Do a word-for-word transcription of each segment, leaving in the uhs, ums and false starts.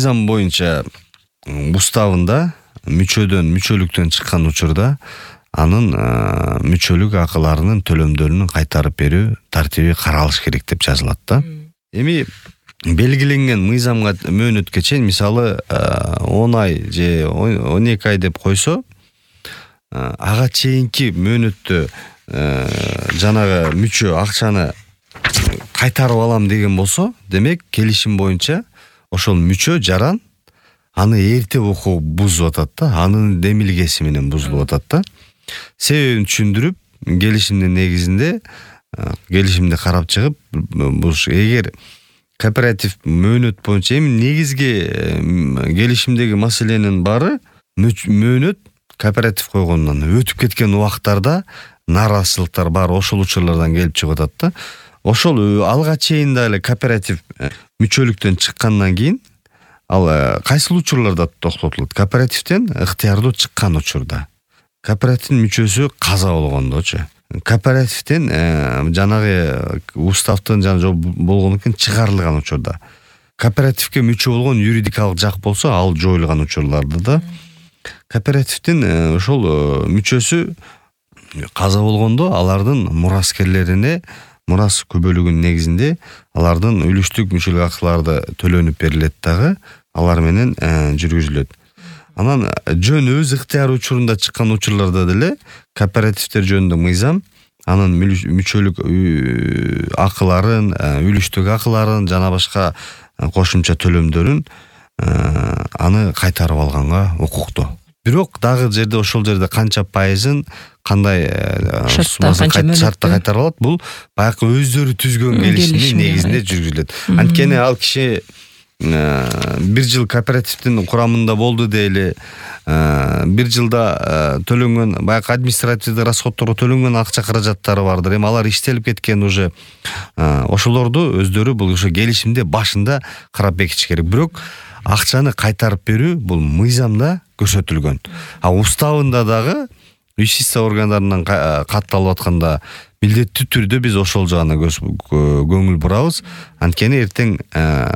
мыйзам боюнча уставында мүчөдөн мүчөлүктөн чыккан учурда анын мүчөлүк акыларынын төлөмдөрүн кайтарып берүү тартиби каралыш керек деп жазылат да. Эми белгиленген мыйзамга мөөнөткө чейин мисалы он ай же он эки ай деп койсо, ага чейинки мөөнөттө жанагы мүчө акчаны кайтарып алам деген болсо, демек келишим боюнча ошол мүчө жаран аны эрте окуп бузуп атат да, анын демилгеси менен бузулуп атат да. Себебин түшүндүрүп, келишимдин негизинде келишимди карап чыгып, бул эгер кооператив мөөнөт боюнча эми негизги келишимдеги маселенин баары мөөнөт кооператив койгондон өтүп кеткен убактарда нааразычылыктар бар, ошол учурлардан келип чыгып атат да. Ошол алга чейин дагы кооператив мүчөлүктөн чыккандан кийин ал кайсыл учурларда токтотулат? Кооперативден ыктыярдуу чыккан учурда. Кооперативдин мүчөсү каза болгондочу. Кооперативден жанагы уставдын жана болгондон кийин чыгарылган учурда. Кооперативге мүчө болгон юридикалык жак болсо, ал жоюлган учурларда да. Кооперативдин ошол мүчөсү каза болгондо алардын мураскерлерине мурас көбөлүгүнүн негизинде алардын үлүштүк мүчөлүк акылары төлөнүп берилет дагы, алар менен жүргүзүлөт. Анан жөн өз ыктыяры учурунда чыккан учурларда деле кооперативдер жөнүндө мыйзам анын мүчөлүк акыларын, үлүштүк акыларын жана башка кошумча төлөмдөрүн аны кайтарып алганга укуктуу. Бирок дагы жерде ошол жерде канча пайызын кандай шартта кайтарып алат, бул баягы өздөрү түзгөн келишимдин негизинде жүргүзүлөт. Анткени ал киши бир жыл кооперативдин курамында болду дейли, бир жылда төлөнгөн баягы административдик расходторго төлөнгөн акча каражаттары бардыр. Эми алар иштелип кеткен уже. Ошолорду өздөрү бул ошо келишимде башында карап бекитиш керек. Бирок акчаны кайтарып берүү бул мыйзамда көрсөтүлгөн. А уставында дагы юстиция органдарынан катталып атканда милдеттүү түрдө биз ошол жагына көңүл бурабыз. Анткени эртең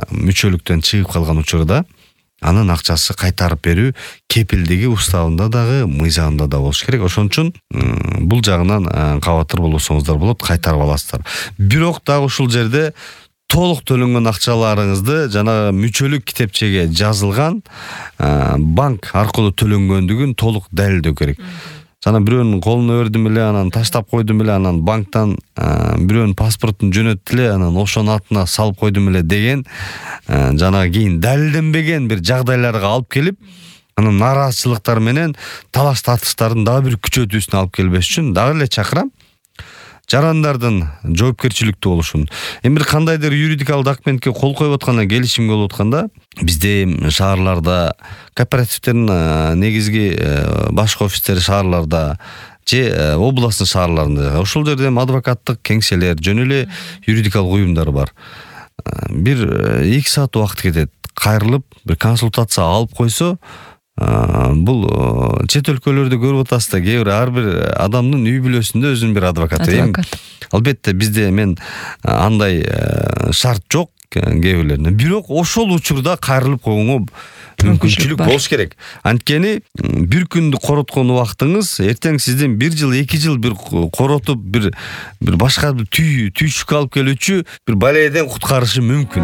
мүчөлүктөн чыгып калган учурда анын акчасы кайтарып берүү кепилдиги уставында дагы, мыйзамында да болуш керек. Ошон үчүн бул жагынан кабатыр болсоңуздар болот, кайтарып аласыздар. Бирок дагы ушул жерде толук төлөнгөн акчаларыңызды жана мүчөлүк китепчеге жазылган банк аркылуу төлөнгөндүгүн толук далилдөө керек. Жана бирөөнүн колуна бердим эле, анан таштап койдум эле, анан банктан бирөөнүн паспортун жөнөттү эле, анан ошонун атына салып койдум эле деген жана кийин далилденбеген бир жагдайларга алып келип, анан нааразычылыктар менен талаш тартыштардын дагы бир күчөтүүсүнө алып келбеш үчүн дагы эле чакырам жарандардын жоопкерчиликтүү болушун. Эми бир кандайдыр юридикалык документке кол коюп атканда, келишимге болуп атканда, бизде шаарларда кооперативдердин негизги башкы офистери шаарларда же областтын шаарларында, ошол жерде адвокаттык кеңселер, жөн эле юридикалык уюмдар бар. Бир эки саат убакыт кетет. Кайрылып, бир консультация алып койсо, бул чет өлкөлөрдө көрүп атасыз да, кээ бир ар бир адамдын үй бүлөсүндө өзүнүн бир адвокаты. Албетте бизде мен андай шарт жок кээ бирлеринде. Бирок ошол учурда кайрылып койгонго мүмкүнчүлүк болуш керек. Анткени бир күндү короткон убактыңыз эртең сиздин бир жыл, эки жыл бир коротуп, бир бир башка түйшүк алып келүүчү бир балейден куткарышы мүмкүн.